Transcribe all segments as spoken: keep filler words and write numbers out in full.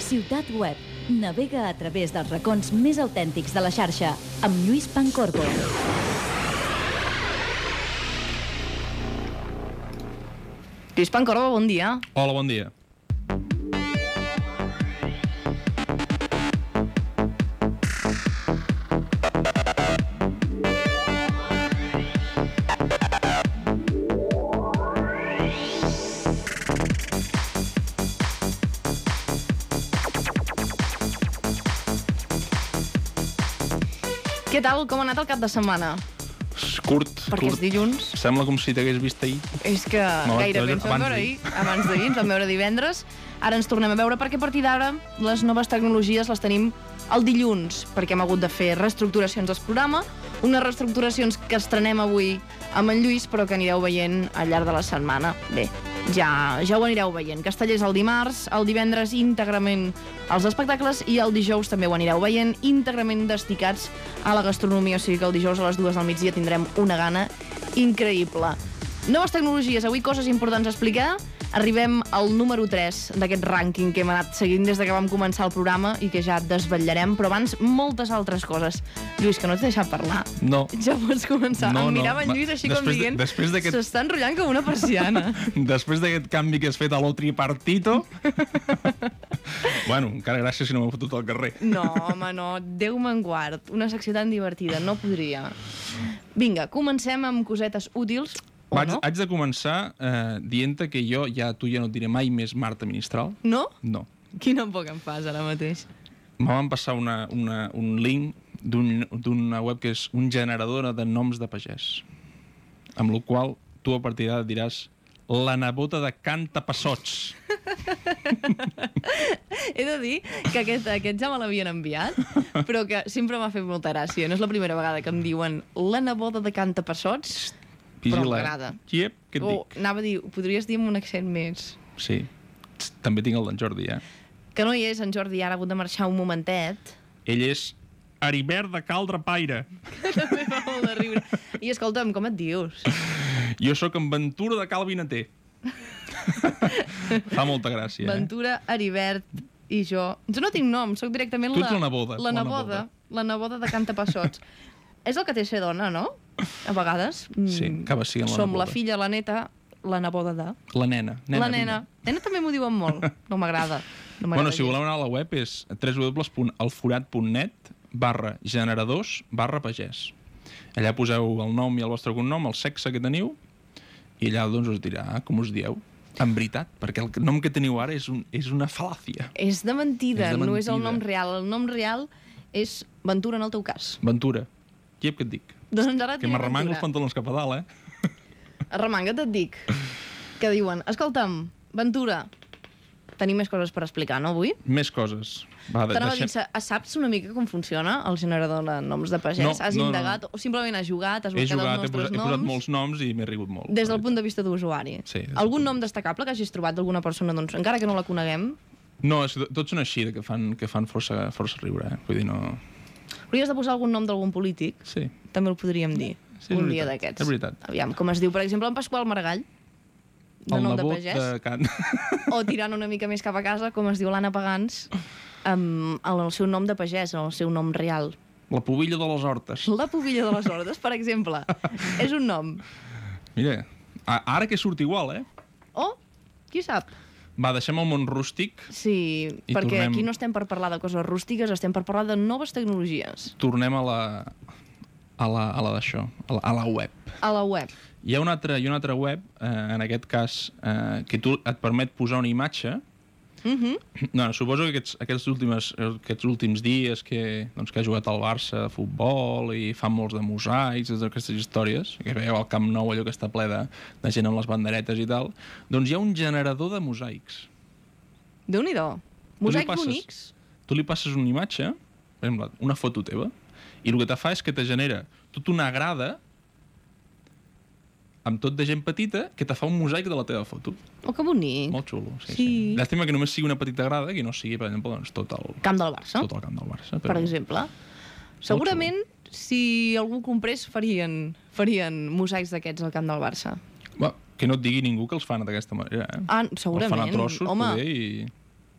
Ciutat Web. Navega a través dels racons més autèntics de la xarxa amb Lluís Pancorbo. Lluís Pancorbo, bon dia. Hola, bon dia. Què tal? Com ha anat el cap de setmana? Curt, Perquè curt. és dilluns. Sembla com si t'hagués vist ahir. És que No, gairebé ens vam abans veure d'ahir. ahir, abans d'ahir, ens vam veure divendres. Ara ens tornem a veure perquè a partir d'ara les noves tecnologies les tenim el dilluns, perquè hem hagut de fer reestructuracions del programa, unes reestructuracions que estrenem avui amb en Lluís, però que anireu veient al llarg de la setmana. Bé, ja, ja ho anireu veient. Castellers el dimarts, el divendres íntegrament als espectacles i el dijous també ho anireu veient íntegrament desticats a la gastronomia, o sigui que el dijous a les dues del migdia tindrem una gana increïble. Noves tecnologies, avui coses importants a explicar. Arribem al número tres d'aquest rànquing que hem anat seguint des de que vam començar el programa i que ja desvetllarem, però abans moltes altres coses. Lluís, que no t'he deixat parlar. No. Ja pots començar. No, em no. mirava en Lluís així com Després de- dient després d'aquest- s'està enrotllant com una persiana. Després d'aquest canvi que has fet a lo tripartito... bueno, encara gràcies si no m'he fotut al carrer. No, home, no. Déu me'n guard. Una secció tan divertida. No podria. Vinga, comencem amb cosetes útils. O Vaig, no? haig de començar eh, dient-te que jo ja tu ja no et diré mai més Marta Ministral. No? No. Quina por que em fas ara mateix. Me van passar una, una, un link d'un- d'una web que és un generador de noms de pagès. Amb la qual tu a partir d'ara diràs la nebota de Cantapassots. He de dir que aquest, aquest ja me l'havien enviat, però que sempre m'ha fet molta gràcia. No és la primera vegada que em diuen la neboda de Cantapassots, però m'agrada. Iep, què et O dic? anava a dir, ho podries dir amb un accent més... Sí. Txt, també tinc el d'en Jordi, eh? Que no hi és, en Jordi, ara ha hagut de marxar un momentet. Ell és Heribert de Caldrapaire. També fa molt de riure. I escolta'm, com et dius? Jo sóc en Ventura de Calvinater. Fa molta gràcia, eh? Ventura, Heribert i jo... Jo no tinc nom, sóc directament Tu la... ets la neboda, La la neboda, neboda. la neboda de Cantapassots. És el que té ser dona, no? A vegades. Sí, mm, acaba sent la Som neboda. la filla, la neta, la neboda de... La nena. nena la nena. Nena també m'ho diuen molt. No m'agrada. No Bueno, si gens. voleu anar a la web és w w w punt elforat punt net barra generadors barra pagès. Allà poseu el nom i el vostre cognom, el sexe que teniu, i allà doncs us dirà ah, com us dieu. En veritat, perquè el nom que teniu ara és, un, és una fal·làcia. És de mentida, És de no és el mentida. nom real. El nom real és Ventura en el teu cas. Ventura. Iep, què et dic? Doncs ara et Que diré m'arremango els Ventura. pantalons cap a dalt, eh? Arremanga't, et dic. Que diuen, escolta'm, Ventura, tenim més coses per explicar, no, avui? Més coses. Va, de, T'anava a dir, deixem... sa- saps una mica com funciona el generador de noms de pagès? No, has no, no. indagat o simplement has jugat, has He buscat jugat, he els nostres posat, he posat noms? molts noms i m'he rigut molt. Des del punt de vista d'usuari. Sí, des del Algun punt- nom destacable que hagis trobat d'alguna persona, doncs, encara que no la coneguem? No, és, que tots són així, que fan, que fan força, força riure, eh? Vull dir, no... Hauries de posar algun nom d'algun polític? Sí. També el podríem dir, Sí, és un dia veritat, d'aquests. és veritat. Aviam, com es diu, per exemple, en Pasqual Maragall, de El nom de nebot pagès. de Can... O tirant una mica més cap a casa, com es diu l'Anna Pagans, amb el seu nom de pagès, el seu nom real. La pubilla de les hortes. La pubilla de les hordes, per exemple. És un nom. Mira, a- ara que surt igual, eh? O, qui sap? Va, deixem el món rústic, Sí, I perquè tornem- aquí no estem per parlar de coses rústiques, estem per parlar de noves tecnologies. tornem a la... a la, a la d'això, a, la, a la web. A la web. Hi ha una altra, hi ha una altra web, eh, en aquest cas, eh, que tu et permet posar una imatge. Mhm. No, suposo que aquests, aquests, últims, aquests últims dies que, doncs, que ha jugat al Barça de futbol i fan molts de mosaics, totes aquestes històries, que veieu al Camp Nou allò que està ple de, de gent amb les banderetes i tal, doncs hi ha un generador de mosaics. Déu-n'hi-do. Tu li Mosaics passes- bonics. Tu li passes una imatge, per exemple, una foto teva, i el que te fa és que te genera tota una grada amb tot de gent petita que te fa un mosaic de la teva foto. Oh, que bonic. Molt xulo, sí, sí. Sí. Llàstima que només sigui una petita grada, que no sigui, per exemple, doncs, tot, el, Camp del Barça, tot el camp del Barça. per exemple. Segurament, si algú comprés, farien, farien mosaics d'aquests al camp del Barça. Va, que no et digui ningú que els fan d'aquesta manera, eh? Ah, Els fan segurament. a trossos, Home, poder, i...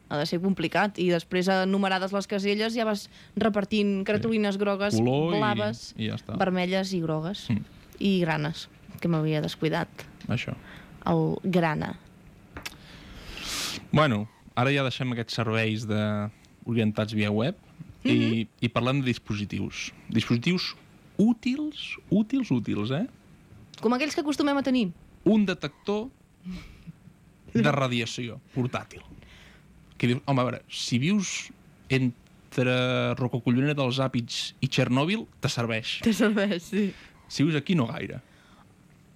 ha de ser complicat. I després, enumerades les caselles, ja vas repartint cartolines grogues, Color i- blaves, i ja està. vermelles i grogues. Mm. I granes, que m'havia descuidat. Això. El grana. Bueno, ara ja deixem aquests serveis de... orientats via web i, Mhm. i parlem de dispositius. Dispositius útils, útils, útils, eh? Com aquells que acostumem a tenir. Un detector de radiació portàtil. Que dius, home, a veure, si vius entre Rocacollonera dels Àpids i Txernòbil, te serveix. Te serveix, sí. Si vius aquí, no gaire.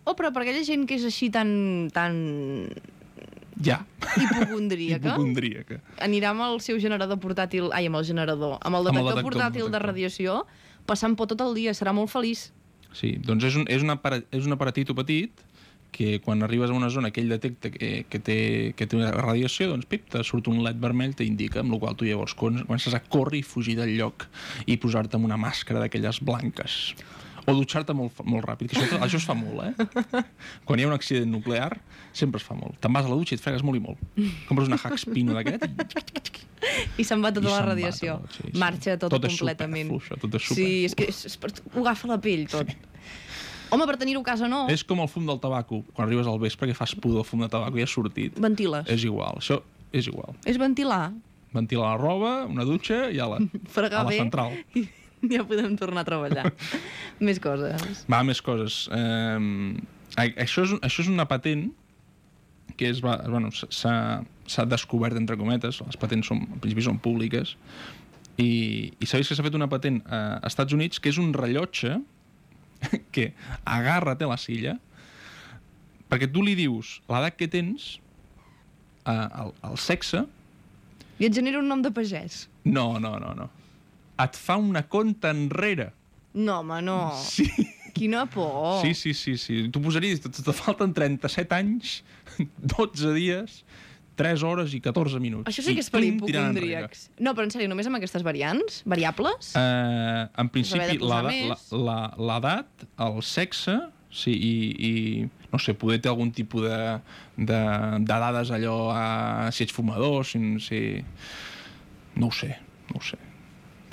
Oh, però per aquella gent que és així tan... tan... Ja. hipocondríaca, Hipocondríaca. anirà amb el seu generador portàtil... Ai, amb el generador. Amb el Amb el detector, detector, portàtil de detector. radiació, passant por tot el dia. Serà molt feliç. Sí, doncs és un, és un, apara- és un aparatito petit que quan arribes a una zona que ell detecta que, que, té, que té una radiació, doncs pip, te surt un led vermell, t'indica, amb la qual tu llavors comences a córrer i fugir del lloc i posar-te amb una màscara d'aquelles blanques. O dutxar-te molt, molt ràpid, que això, això es fa molt, eh? Quan hi ha un accident nuclear, sempre es fa molt. Te'n vas a la dutxa i et fregues molt i molt. Compres una Haxpino d'aquest i I se'n va tota I la se'n va radiació. tot, sí, sí. Marxa tot, Tot és completament. superflu, això, tot és Sí, superflu. és que és, és per, ho agafa la pell, tot. Sí. Home, per tenir-ho a casa no, és com el fum del tabaco. Quan arribes al vespre que fas pudor, el fum de tabaco ja ha sortit. ventiles. És igual, això és igual. És ventilar, Ventilar la roba, una dutxa i a la, fregar a la bé, central. i ja podem tornar a treballar. Més coses. Va, més coses. Um, això, és, això és una patent que és, va, bueno, s'ha s'ha descobert, entre cometes, les patents són, en principi són públiques, i, i sabeu que s'ha fet una patent a Estats Units que és un rellotge que agarra té la silla perquè tu li dius l'edat que tens, uh, el, el sexe. I et genera un nom de pagès. No, no, no, no. Et fa una conta enrere. No, home, no. Sí. Quina por. Sí, sí, sí, sí. Tu posaries, te, te falten trenta-set anys, dotze dies, tres hores i catorze minuts. Això sí que és per hipocondríacs. No, però en sèrio, només amb aquestes variants? Variables? Uh, en principi, haver de posar l'edat, més. la- la- l'edat, el sexe, sí, i, i no sé, poder té algun tipus de, de, de dades allò, a, si ets fumador, si, si... No ho sé, no ho sé.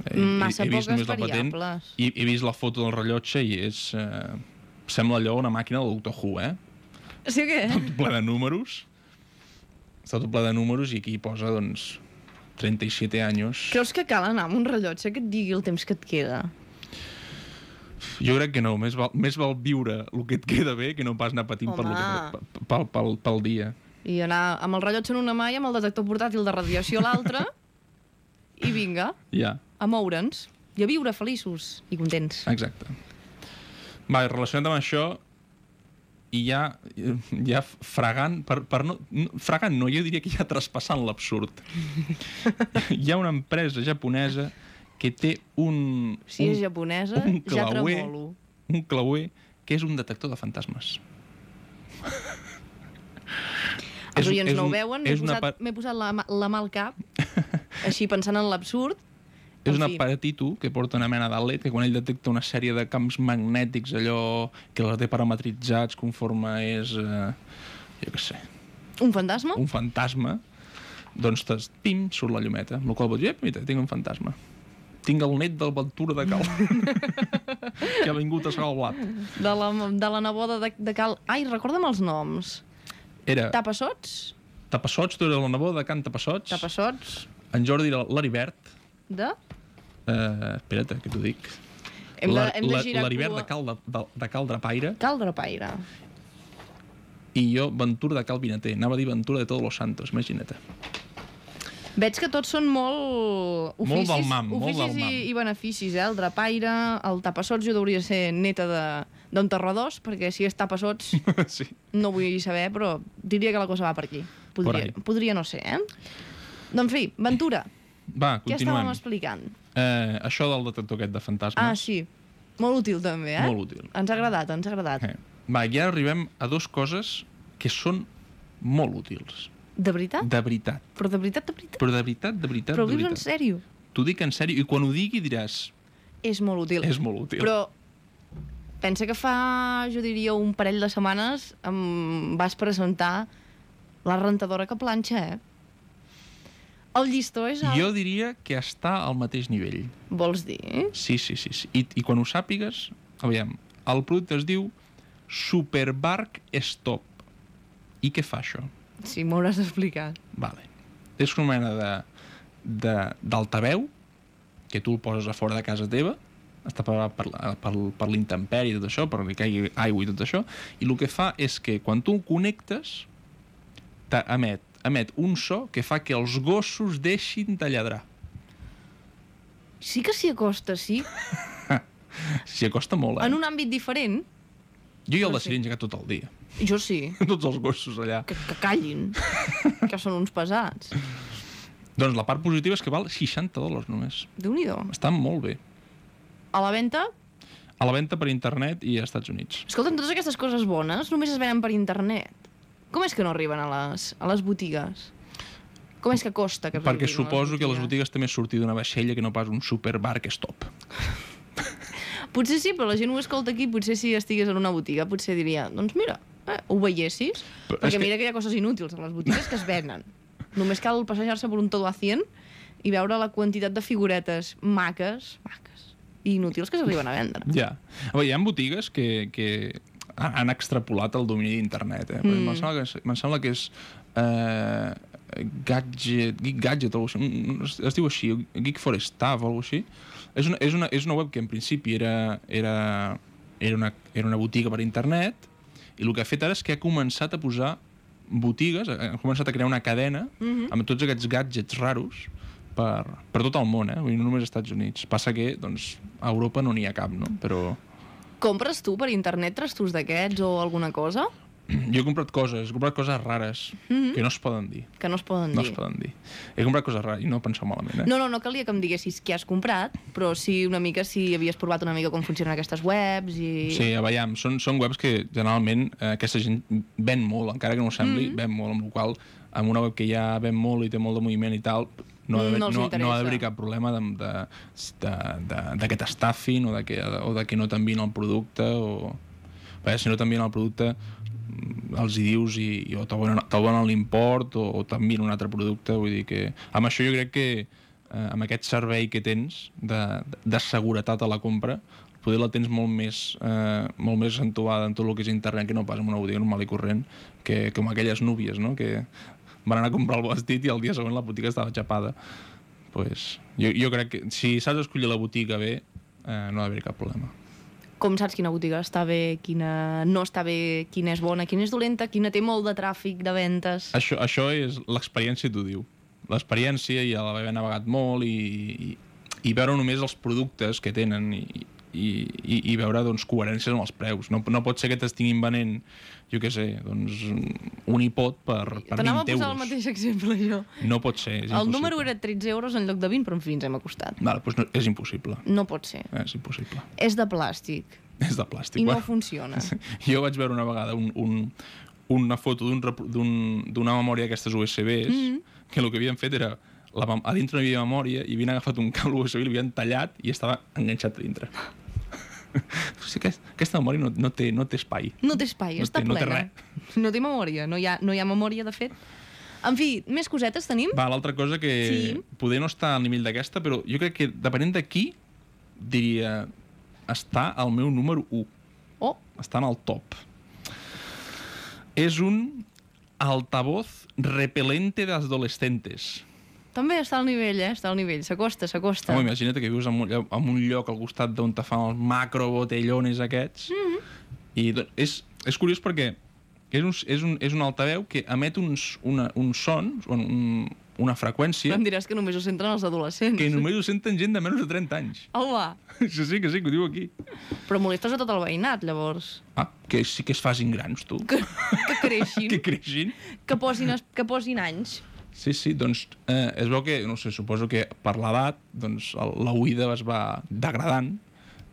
He, Massa he, he vist poques només la patent variables. i he vist la foto del rellotge i és... Eh, sembla allò una màquina del Doctor Who, eh? Sí o què? Tot ple de números. Està tot ple de números i aquí posa, doncs, trenta-siete anys. Creus que cal anar amb un rellotge que et digui el temps que et queda? Jo crec que no, més val, més val viure el que et queda bé que no pas anar patint per lo que, Home. pel, pel, pel dia. I anar amb el rellotge en una mà i amb el detector portàtil de radiació a l'altra i vinga, Ja, a moure'ns i a viure feliços i contents. exacte. Va, i relacionat amb això, i ja, ja fregant, per, per no, no, fregant no, jo diria que ja traspassant l'absurd. Hi ha una empresa japonesa que té un... Si un, és japonesa, un ja clauer, tremolo. un clauer que és un detector de fantasmes. Els És un- oients és no ho un- veuen, m'he és una posat, pa- m'he posat la, mà- la mà al cap, així pensant en l'absurd. És En un fi. aparatito que porta una mena d'L E D que quan ell detecta una sèrie de camps magnètics, allò que els té parametritzats conforme és, eh, jo què sé, Un fantasma? un fantasma, doncs t'es, pim, surt la llumeta, amb la qual vols dir, "Ep, mira, tinc un fantasma. Tinc el net del Ventura de Cal, que ha vingut a segar el blat." De la, de la neboda de, de Cal... Ai, recorda'm els noms. Era Tapassots? Tapassots, tu eres la neboda de Can Tapassots, Tapassots? en Jordi era l'Aribert, De? eh, espera't, que t'ho dic, Hem de, La- hem de la- girar l'Aribert cua. de Cal, de, de, de Cal Drapaire, Cal Drapaire. i jo Ventura de Cal Vinater. Anava a dir Ventura de Todos los Santos, imagina't. Veig que tots són molt oficis, Molt del mam, molt oficis del mam. i, i beneficis, eh? El drapaire, el tapassots, jo hauria de ser neta de- d'enterradors, perquè si és tapassots Sí. no vull saber, però diria que la cosa va per aquí. Podria, Por ahí. podria no ser, eh? Doncs, en fi, Ventura, Va, què estàvem continuem. explicant? Eh, això del detector aquest de fantasmes, Ah, sí, molt útil també, eh? molt útil. Ens ha agradat, ens ha agradat. Eh. Va, i ara arribem a dues coses que són molt útils. De veritat? De veritat. Però de veritat, de veritat? Però de veritat, de veritat, Però ho de dius en veritat. sèrio? T'ho dic en sèrio, i quan ho digui diràs, És molt útil. és molt útil. Però pensa que fa, jo diria, un parell de setmanes em vas presentar la rentadora que planxa, eh? El llistó és alt. Jo diria que està al mateix nivell. Vols dir? Sí, sí, sí. sí. I, I quan ho sàpigues, aviam, el producte es diu Superbark Stop. I què fa això? Sí, m'hauràs d'explicar. Vale. És una mena de, de, d'altaveu que tu el poses a fora de casa teva, està preparat per, per, per l'intempèrie i tot això, per que caigui aigua i tot això, i el que fa és que quan tu el connectes emet, emet un so que fa que els gossos deixin de lladrar. Sí que s'hi acosta, sí. S'hi acosta molt, eh? En un àmbit diferent. Jo i el Però de sí. Siri engegat tot el dia. Jo sí. Tots els gossos allà. Que, que callin. Que són uns pesats. Doncs la part positiva és que val seixanta dòlars només. Déu-n'hi-do. Està molt bé. A la venda? A la venda per internet i als Estats Units. Escolta'm, totes aquestes coses bones només es venen per internet. Com és que no arriben a les, a les botigues? Com és que costa que Perquè arribin suposo a les que a les botigues? botigues també sortir d'una vaixella que no pas un Superbark Stop. Potser sí, però la gent ho escolta aquí, potser si estigués en una botiga, potser diria, doncs mira, eh, ho veiessis, Però perquè és que- mira que hi ha coses inútils a les botigues que es venen. Només cal passejar-se per un todo a cien i veure la quantitat de figuretes maques, maques, i inútils que s'arriben a vendre. Ja. A veure, hi ha botigues que, que han extrapolat el domini d'internet. Eh? Mm. Me'n sembla, que, me'n sembla que és uh, Gadget, Geek Gadget o alguna cosa així. Es diu així, Geek for Stuff o alguna cosa així. És una, és, una, és una web que en principi era, era, era, una, era una botiga per internet i el que ha fet ara és que ha començat a posar botigues, ha començat a crear una cadena mm-hmm. amb tots aquests gadgets raros per, per tot el món, eh? Vull dir, no només als Estats Units. Passa que doncs, a Europa no n'hi ha cap, no? Però Compres tu per internet trastos d'aquests o alguna cosa? jo he comprat coses, he comprat coses rares Mhm. que no es poden dir. Que no es poden No dir. es poden dir. He comprat coses rares i no penseu malament, eh? No, no, no calia que em diguessis què has comprat, però sí una mica si havies provat una mica com funcionen aquestes webs i... Sí, a veure, són, són webs que generalment eh, aquesta gent ven molt, encara que no ho sembli, Mhm. mm-hmm. ven molt, amb la qual cosa amb una web que ja ven molt i té molt de moviment i tal, no ha d'haver No els no, no interessa. ha d'haver cap problema de- de- de- de- d'aquest estafin o de que, o de que no t'envien el producte o... Bé, si no t'envien el producte els hi dius i, i o t'abonen t'abonen l'import o, o t'envien un altre producte, vull dir que amb això jo crec que eh, amb aquest servei que tens de, de seguretat a la compra poder la tens molt més, eh, molt més entubada en tot el que és internet que no pas en una botiga normal i corrent que com aquelles núvies, no? Que van anar a comprar el vestit i el dia següent la botiga estava xapada. Pues, jo, jo crec que si saps escollir la botiga bé eh, no ha d'haver cap problema. Com saps quina botiga està bé, quina no està bé, quina és bona, quina és dolenta, quina té molt de tràfic de ventes? Això, això és l'experiència, t'ho diu. L'experiència i l'haver navegat molt i, i, i veure només els productes que tenen i, i, i, i veure doncs, coherències amb els preus. No, no pot ser que t'estiguin venent, jo què sé, doncs, un iPod per, per T'anava a vint posar euros. el mateix exemple, jo. No pot ser, és El impossible. número era tretze euros en lloc de vint, però en fi, ens hem acostat. Vale, doncs no, és impossible. No pot ser. És impossible. És de plàstic És de plàstic. i no Bueno, funciona. jo vaig veure una vegada un, un, una foto d'un repro- d'un- d'una memòria d'aquestes U S Bs Mhm. que el que havien fet era la, mem- a dintre no hi havia memòria i havien agafat un cable U S B i l'havien tallat i estava enganxat a dintre. O sigui, aquest, aquesta memòria no, no, té, no té espai. No té espai, No està té- no té plena. No té memòria, no hi, ha, no hi ha memòria, de fet. En fi, més cosetes tenim? Va, l'altra cosa que Sí. poder no està al nivell d'aquesta, però jo crec que depenent de qui, diria, està al meu número u. Oh, Està en el top. És un altavoz repelente de adolescentes. també està al nivell, eh? Està al nivell, s'acosta, s'acosta. Home, imagina't que vius en un, lloc- en un lloc al costat d'on te fan els macrobotellones aquests. Mm -hmm. I doncs, és, és curiós perquè és un, és un, és un altaveu que emet uns, una, uns sons, un, una freqüència, Em diràs que només ho senten els adolescents. que només ho senten gent de menys de trenta anys. Home, Sí, sí, que sí, que ho diu aquí. però molestes a tot el veïnat, llavors. Ah, que sí que es facin grans, tu. Que, que creixin, Que creixin. que posin, es- que posin anys. Sí, sí, doncs eh, es veu que, no sé, suposo que per l'edat doncs, el- la oïda es va degradant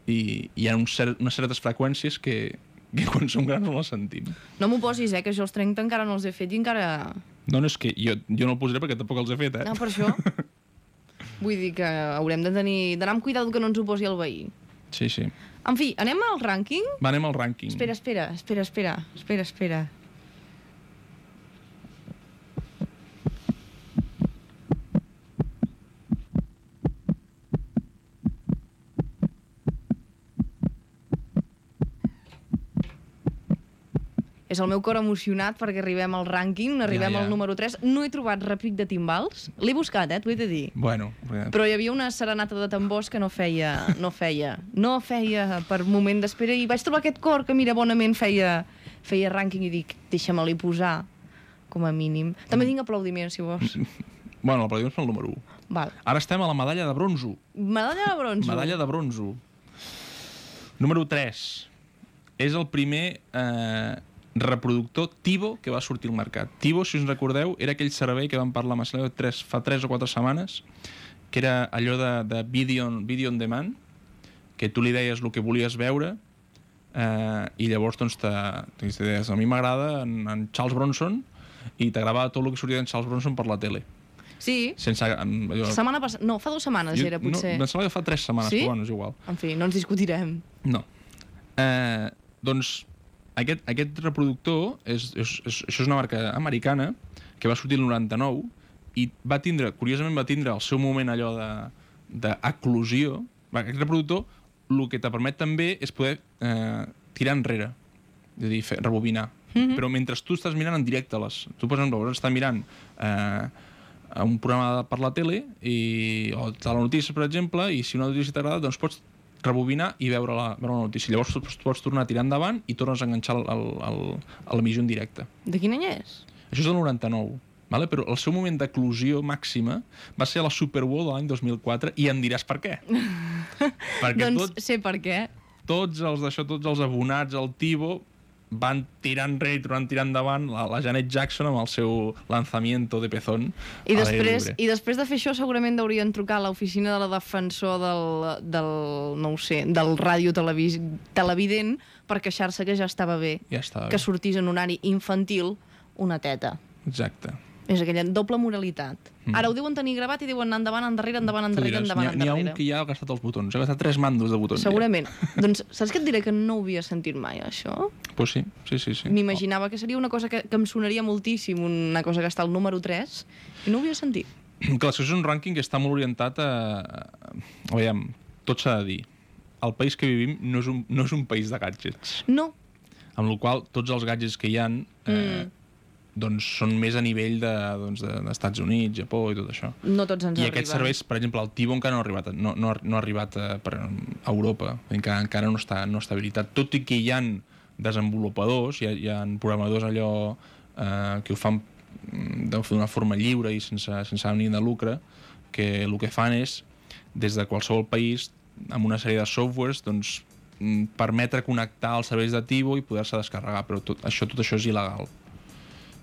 i hi ha un cert, unes certes freqüències que, que quan som grans no les sentim. No m'ho posis, eh, que jo els trenta encara no els he fet i encara... No, no, és que jo, jo no el posaré perquè tampoc els he fet, eh? No, per això. Vull dir que haurem de tenir d'anar amb cuidado que no ens ho posi el veí. Sí, sí. En fi, anem al rànquing? Va, anem al rànquing. Espera, espera, espera, espera, espera, espera. és el meu cor emocionat perquè arribem al rànquing, arribem Ja, ja. al número tres. No he trobat repic de timbals. L'he buscat, eh, t'ho he de dir. Bueno, Però hi havia una serenata de tambors que no feia, no feia, no feia per moment d'espera i vaig trobar aquest cor que, mira, bonament feia, feia rànquing i dic, deixa'm-li posar, com a mínim. També tinc aplaudiments, si vols. bueno, l'aplaudiments pel número u. Val. Ara estem a la medalla de bronzo. Medalla de bronzo. Medalla de bronzo. Número tres. És el primer eh, reproductor Tivo que va sortir al mercat. Tivo, si us recordeu, era aquell servei que vam parlar amb Marcelo tres, fa tres o quatre setmanes, que era allò de, de video, video on demand, que tu li deies el que volies veure eh, i llavors doncs, te, te deies, a mi m'agrada en, en Charles Bronson i t'agradava tot el que sortia d'en Charles Bronson per la tele. Sí. Sense, allò, Setmana passada... No, fa dues setmanes jo, era, potser. No, em sembla que fa tres setmanes, Sí? però bueno, és igual. En fi, no ens discutirem. No. Eh, doncs aquest, aquest reproductor, és, és, és, això és una marca americana que va sortir el noranta-nou i va tindre, curiosament va tindre el seu moment allò d'eclosió. Aquest reproductor el que te permet també és poder eh, tirar enrere, és a dir, fer, rebobinar. Mm-hmm. Però mentre tu estàs mirant en directe, les, tu per exemple estàs mirant eh, a un programa per la tele i, o a la notícia, per exemple, i si una notícia t'agrada, doncs pots rebobinar i veure la, veure la notícia. Llavors tu pots tornar a tirar endavant i tornes a enganxar el, el, el, a l'emissió en directe. De quin any és? Això és del noranta-nou, vale? Però el seu moment d'eclosió màxima va ser a la Super Bowl de l'any dos mil quatre i em diràs per què. Perquè doncs tot, sé per què. tots els d'això, tots els abonats al Tivo van tirar enrere i tornant tirar endavant la, la Janet Jackson amb el seu lanzamiento de pezón. I després, I després de fer això segurament deurien trucar a l'oficina de la defensor del, del no ho sé, del ràdio televis, televident per queixar-se que ja estava bé Ja estava que bé. sortís en horari infantil una teta. Exacte. És aquella doble moralitat. Mm. Ara ho deuen tenir gravat i diuen endavant, endarrere, endavant, Tu endarrere, diràs, endavant, n'hi ha, n'hi ha un endarrere. que ja ha gastat els botons, ha gastat tres mandos de botons. Segurament. Doncs saps què et diré? Que no ho havia sentit mai, això. Ja. Pues sí, sí, sí. sí. M'imaginava que seria una cosa que, que em sonaria moltíssim, una cosa que està al número tres, i no ho havia sentit. Clar, això és un rànquing que està molt orientat a... a veiem, tot s'ha de dir. El país que vivim no és un, no és un país de gadgets. No. Amb la qual cosa, tots els gadgets que hi ha eh, Mm. doncs són més a nivell de, doncs, de, d'Estats Units, Japó i tot això. No tots ens I arriben. aquests serveis, per exemple, el Tivo encara no ha arribat a, no, no, ha- no ha arribat a, per, a Europa, encara, encara no està, no està habilitat. Tot i que hi ha desenvolupadors, hi ha, hi ha programadors allò eh, que ho fan mm, d'una forma lliure i sense, sense ànim de lucre, que el que fan és, des de qualsevol país, amb una sèrie de softwares, doncs, mm, permetre connectar els serveis de Tivo i poder-se descarregar, però tot això, tot això és il·legal.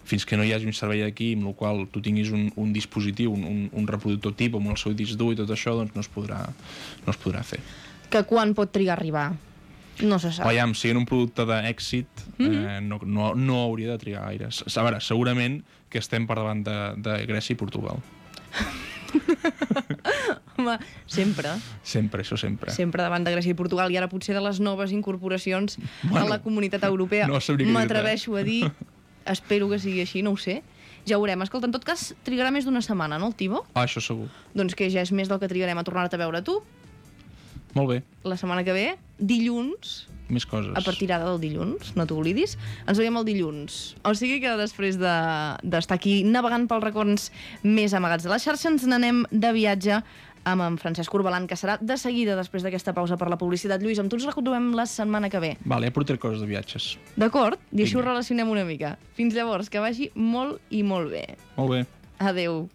Fins que no hi hagi un servei aquí amb el qual tu tinguis un, un dispositiu, un, un, un reproductor Tivo amb el seu disc dur i tot això, doncs no es podrà, no es podrà fer. Que quan pot trigar a arribar? No se sap. Veiem, siguent un producte d'èxit, eh, no, no, no hauria de trigar gaire. A veure, segurament que estem per davant de, de Grècia i Portugal. Home, sempre. Sempre, això sempre. Sempre davant de Grècia i Portugal, i ara potser de les noves incorporacions Bueno, a la comunitat europea. no sabria què dir-te. M'atreveixo a dir, espero que sigui així, no ho sé. Ja ho veurem. Escolta, en tot cas, trigarà més d'una setmana, no, el Tivo? Ah, això segur. Doncs que ja és més del que trigarem a tornar-te a veure tu. Molt bé, La setmana que ve, dilluns, més coses. a partir d'ara del dilluns, no t'oblidis, ens veiem el dilluns. O sigui que després de- d'estar aquí navegant pels racons més amagats de la xarxa, ens n'anem de viatge amb en Francesc Corbalan, que serà de seguida després d'aquesta pausa per la publicitat. Lluís, amb tu ens retrobem la setmana que ve. Vale, ja portaré coses de viatges. D'acord? I així ho Vinga. relacionem una mica. Fins llavors, que vagi molt i molt bé. Molt bé. Adeu.